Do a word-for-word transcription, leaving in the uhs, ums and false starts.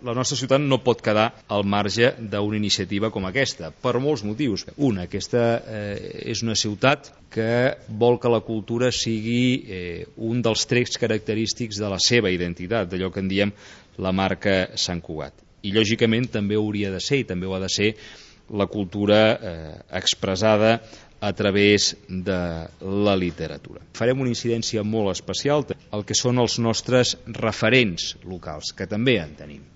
la nostra ciutat no pot quedar al marge d'una iniciativa com aquesta, per molts motius. Una, aquesta eh, és una ciutat que vol que la cultura sigui eh, un dels trets característics de la seva identitat, d'allò que en diem la marca Sant Cugat. I lògicament també hauria de ser, i també ho ha de ser, la cultura eh, expressada a través de la literatura. Farem una incidència molt especial al que són els nostres referents locals, que també en tenim.